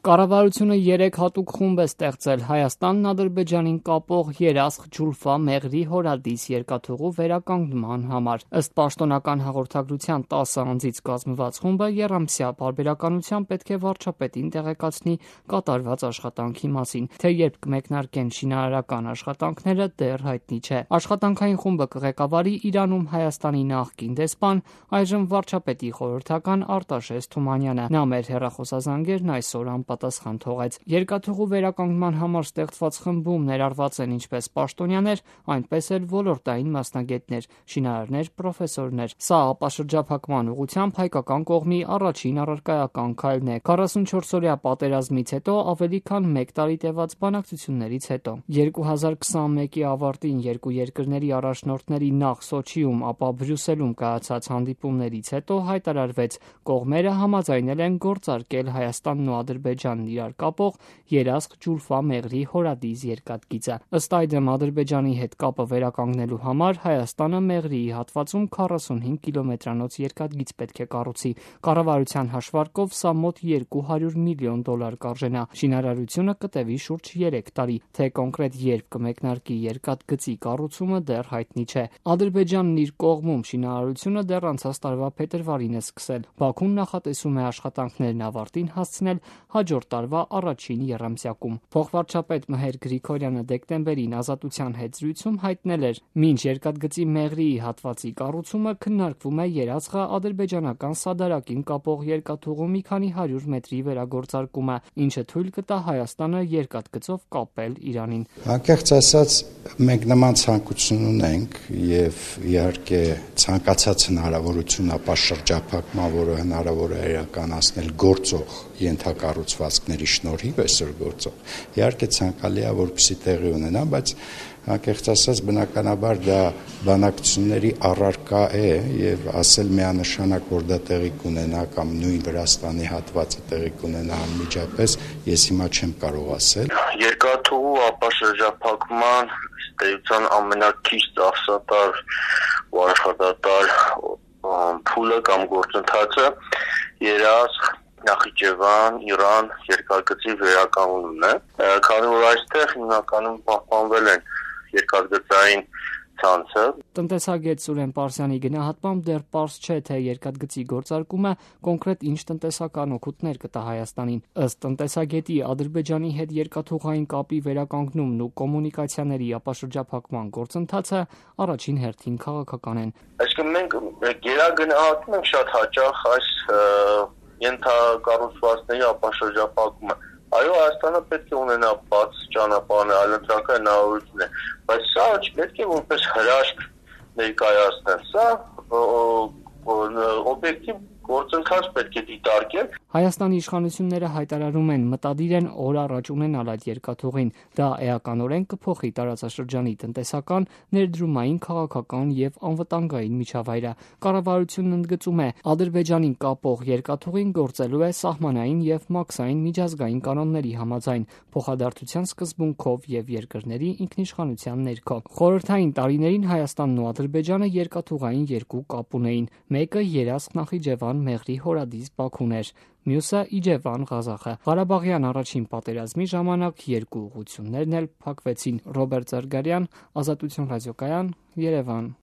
Կառավարությունը 3 հատուկ խումբ է ստեղծել Հայաստանն Ադրբեջանին կապող Երասխ-Ջուլֆա-Մեղրի հորադիս երկաթուղու վերականգնման համար։ Ըստ պաշտոնական հաղորդագրության 10 անձից կազմված խումբը եռամսյա պարբերականությամբ պետք է վարչապետին տեղեկացնի կատարված աշխատանքի մասին, թե երբ կմեկնարկեն շինարարական աշխատանքները դեռ հայտնի չէ։ Աշխատանքային խումբը կղեկավարի Իրանում Հայաստանի նախկին դեսպան, այժմ վարչապետի խորհրդական Արտաշես Թումանյանը։ Նա մեր հեռախոսազանգերն այսօր պատասխան թողեց։ Երկաթուղու վերականգնման համար ստեղծված խմբում ներառված են ինչպես պաշտոնյաներ, այնպես էլ ոլորտային մասնագետներ, շինարարներ, պրոֆեսորներ։ Սա ապաշրջափակման ուղղությամբ հայկական կողմի առաջին առարկայական քայլն է։ 44-օրյա պատերազմից հետո ավելի քան 1 տարի տևած բանակցություններից հետո 2021-ի ավարտին երկու երկրների առաջնորդների նախ Սոչիում, ապա Բրյուսելում կայացած հանդիպումներից հետո հայտարարվեց, կողմերը համաձայնել են գործարկել Հայաստանն ու Ադրբեջանն իրար կապող Երասխ-Ջուլֆա-Մեղրի հորադիս երկաթգիծը։ Ըստ այդմ Ադրբեջանի հետ կապը վերականգնելու համար Հայաստանը Մեղրիի հատվածում 45 կիլոմետրանոց երկաթգիծ պետք է կառուցի։ Կառավարության հաշվարկով սա մոտ $200 միլիոն կարժենա։ Շինարարությունը կտևի շուրջ 3 տարի, թե կոնկրետ երբ կմեկնարկի երկաթգծի կառուցումը դեռ հայտնի չէ։ Ադրբեջանն իր կողմում շինարարությունը դեռ անցած տարվա փետրվարին է սկսել։ Բաքուն նախատեսում է աշխատանքներն ավարտին հասցնել հաջորդ տարվա առաջին եռամսյակում։ Փոխվարչապետ Մհեր Գրիգորյանը դեկտեմբերին Ազատության հետ զրույցում հայտնել էր, մինչ երկաթգծի Մեղրիի հատվածի կառուցումը քննարկվում է երասխա-ադրբեջանական սադարակին կապող երկաթուղու մի քանի 100 մետրի վերագործարկումը, ինչը թույլ կտա Հայաստանը երկաթգծով կապել Իրանին։ Անկեղծ ասած, մենք նման ցանկություն ունենք եւ իհարկե ցանկացած հնարավորություն ապաշրջափակման, որը հնարավոր է իրականացնել գործող ենթակառուցվածքների շնորհիվ այսօր գործող, իհարկե ցանկալի է, որպեսզի տեղի ունենա, բայց անկեղծ ասած բնականաբար դա բանակցությունների առարկա է եւ ասել միանշանակ, որ դա տեղի կունենա կամ նույն Վրաստանի հատվածը տեղի կունենա անմիջապես, ես հիմա չեմ կարող ասել։ Երկաթուղու ապաշրջափակման ստեյության ամենաքիչ ծախսատար ու աշխատատար փուլը կամ գործընթացը Երասխ Նախիջևան, Իրան երկաթգծի վերականգնումն է, քանի որ այստեղ հիմնականում պահպանվել են երկաթգծային ցանցը։ Տնտեսագետ Սուրեն Պարսյանի գնահատմամբ դեռ պարզ չէ, թե երկաթգծի գործարկումը կոնկրետ ինչ տնտեսական օգուտներ կտա Հայաստանին։ Ըստ տնտեսագետի, Ադրբեջանի հետ երկաթուղային կապի վերականգնումն ու կոմունիկացիաների ապաշրջափակման գործընթացը առաջին հերթին քաղաքական են։ Այսինքն մենք գերագնահատում ենք շատ հաճախ այս ենթակառուցվածքների ապաշրջափակումը։ Այո, Հայաստանը պետք է ունենա բաց ճանապարհներ, այլընտրանքային հնարավորություններ, բայց սա չպետք է որպես հրաշք ներկայացնել։ Սա օբյեկտիվ գործընթաց պետք է դիտարկել։ Հայաստանի իշխանությունները հայտարարում են մտադիր են օր առաջ ունենալ այդ երկաթուղին։ Դա էականորեն կփոխի տարածաշրջանի տնտեսական, ներդրումային, քաղաքական եւ անվտանգային միջավայրը։ Կառավարությունն ընդգծում է, Ադրբեջանին կապող երկաթուղին գործելու է սահմանային եւ մաքսային միջազգային կանոնների համաձայն, փոխադարձության սկզբունքով եւ երկրների ինքնիշխանության ներքո։ Խորհրդային տարիներին Հայաստանն ու Ադրբեջանը երկաթուղային երկու կապ ունեին։ Մեկը Երասխ-Նախիջևան-Մեղրի հորադիս Բաքուն էր, մյուսը Իջևան Ղազախը։ Ղարաբաղյան առաջին պատերազմի ժամանակ երկու ուղղություններն էլ փակվեցին։ Ռոբերտ Զարգարյան, Ազատություն ռադիոկայան, Երևան։